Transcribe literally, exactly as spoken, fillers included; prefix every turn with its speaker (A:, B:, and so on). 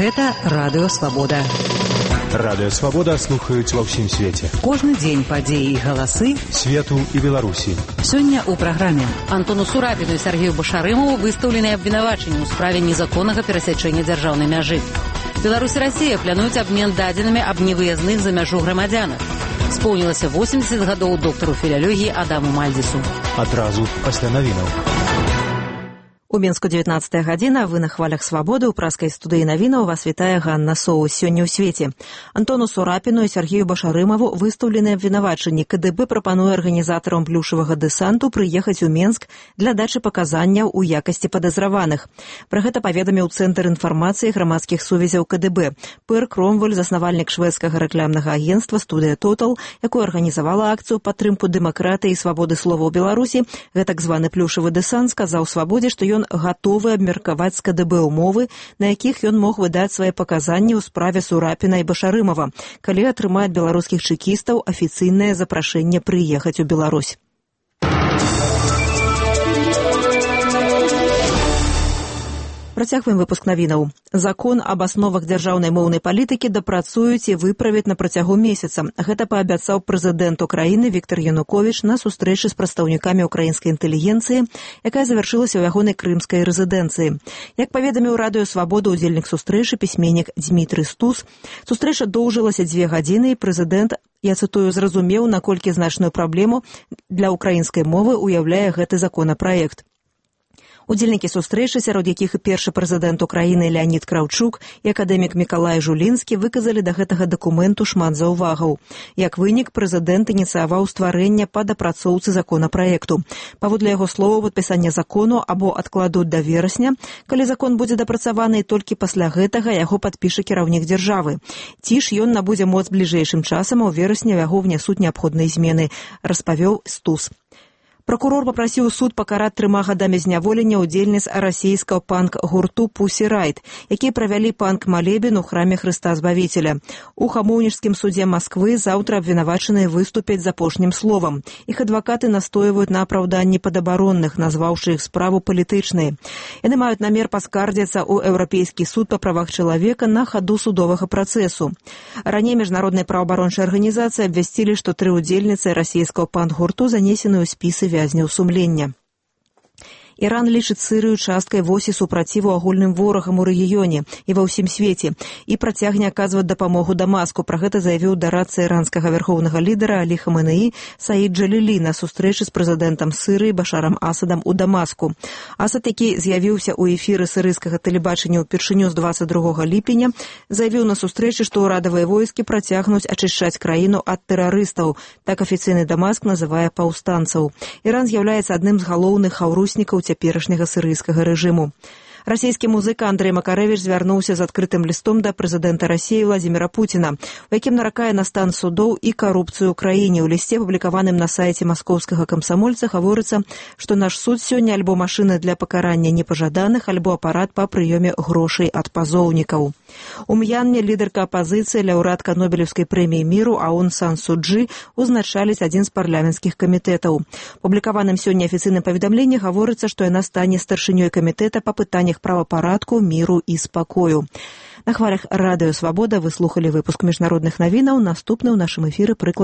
A: Гэта Радыё Свабода.
B: Радыё Свабода слухаюць ва ўсім свеце.
A: Кожны дзень падзеі і галасы
B: свету і Беларусі.
A: Сёння ў праграме.
C: Антону Сурапіну і Сергею Башарымову выстаўлены абвінавачанні ў справе незаконнага перасячэння дзяржаўнай мяжы. Беларусь і Расія плануюць абмен дадзенымі аб невыязных за мяжу грамадзянах. Споўнілася восемьдесят гадоў доктару філялогіі Адаму Мальдзісу.
B: Адразу пасля навінаў.
D: У Мінску дзевятнаццатая гадзіна, вы на хвалях свабоды, у праскай студыі навінаў вас вітае Ганна Соус. Сёння ў свеце. Антону Сурапіну і Сергею Башарымову выстаўлены абвінавачанні. КДБ прапануе арганізатарам плюшавага дэсанту прыехаць у Менск для дачы паказанняў у якасці падазраваных. Пра гэта паведаміў Цэнтр інфармацыі грамадскіх сувязяў КДБ. Пэр Кромвель, заснавальнік шведскага рэкламнага агенцтва «Студыя Тотал», якую арганізавала акцыю падтрымку дэмакратыі і свабоды слова ў Беларусі, гэтак званы плюшавы дэсант сказаў Свабодзе, што ён гатовы абмеркаваць з КДБ умовы, на якіх ён мог выдаць свае паказанні ў справе Сурапіна і Башарымова, калі атрымае ад беларускіх чэкістаў афіцыйнае запрашэнне прыехаць у Беларусь. Працягваем выпуск навінаў. Закон аб асновах дзяржаўнай моўнай палітыкі дапрацуюць і выправяць на працягу месяца. Гэта паабяцаў прэзідэнт Украіны Віктор Януковіч на сустрэчы з прадстаўнікамі украінскай інтэлігенцыі, якая завяршылася ў ягонай крымскай рэзідэнцыі. Як паведаміў Радыё Свабода удзельнік сустрэчы пісьменнік Дзмітрый Стус, сустрэча доўжылася дзве гадзіны і прэзідэнт, я цытую, зразумеў, наколькі значную праблему для украінскай мовы уяўляе гэты законапраект. Удзельнікі сустрэчы, сярод якіх і першы прэзідэнт Украіны Леонід Краўчук і акадэмік Мікалай Жулінскі, выказалі да гэтага дакументу шмат заўвагаў. Як вынік, прэзідэнт ініцыяваў стварэнне па дапрацоўцы законапраекту. Паводле яго словаў, падпісанне закону або адкладуць да верасня, калі закон будзе дапрацаваны, і толькі пасля гэтага яго падпіша кіраўнік дзяржавы. Ці ж ён набудзе моц бліжэйшым часам, а ў верасні яго ўнясуць неабходныя змены, распавёў Стус. Пракурор папрасіў суд пакараць трыма гадамі зняволення ўдзельніц расійскага панк-гурту «Пусі Райт», якія правялі панк-малебен у храме Хрыста Збавіцеля. У Хамоўніцкім судзе Масквы заўтра абвінавачаныя выступяць з апошнім словам. Іх адвакаты настойваюць на апраўданні падабаронных, назваўшы іх справу палітычнай. Яны маюць намер паскардзіцца ў Еўрапейскі суд па правах чалавека на хаду судовага працэсу. Раней міжнародныя праваабарончыя арганізацыі абвясцілі, што тры ўдзельніцы расійскага панк-гурту занесены ў спісы вязняў сумлення. Іран лічыць Сырыю часткай восі супраціву агульным ворагам у рэгіёне і ва ўсім свеце і працягне аказваць дапамогу Дамаску. Пра гэта заявіў дарадца іранскага вярхоўнага лідара Алі Хаменеі Саід Джалілі на сустрэчы з прэзідэнтам Сырыі Башарам Асадам у Дамаску. Асад, які з'явіўся ў эфіры сырыйскага тэлебачання ўпершыню з дваццаць другога ліпеня, заявіў на сустрэчы, што ўрадавыя войскі працягнуць ачышчаць краіну ад тэрарыстаў. Так афіцыйны Дамаск называе паўстанцаў. Іран з'яўляецца адным з галоўных хаўруснікаў цяперашняга сырыйскага рэжыму. Расійскі музыка Андрэй Макарэвіч звярнуўся з адкрытым лістом да прэзідэнта Расіі Владзіміра Пуціна, у якім наракае на стан судоў і карупцыю ў краіне. У лісце, публікаваным на сайце маскоўскага камсамольца, гаворыцца, што наш суд сёння альбо машына для пакарання непажаданых, альбо апарат па прыёме грошай ад пазоўнікаў. У М'янме лідарка апазіцыі, лаўрэатка Нобелеўскай прэміі міру Аун Сан Су Чжы узначаліць адзін з парламенцкіх камітэтаў. Публікаваным сёння афіцыйным паведамленні гаворыцца, што яна стане старшынёй камітэта па пытаннях правапарадку, міру і спакою. На хвалях Радыё Свабода вы слухалі выпуск міжнародных навінаў. Наступны ў нашым эфіры прыклад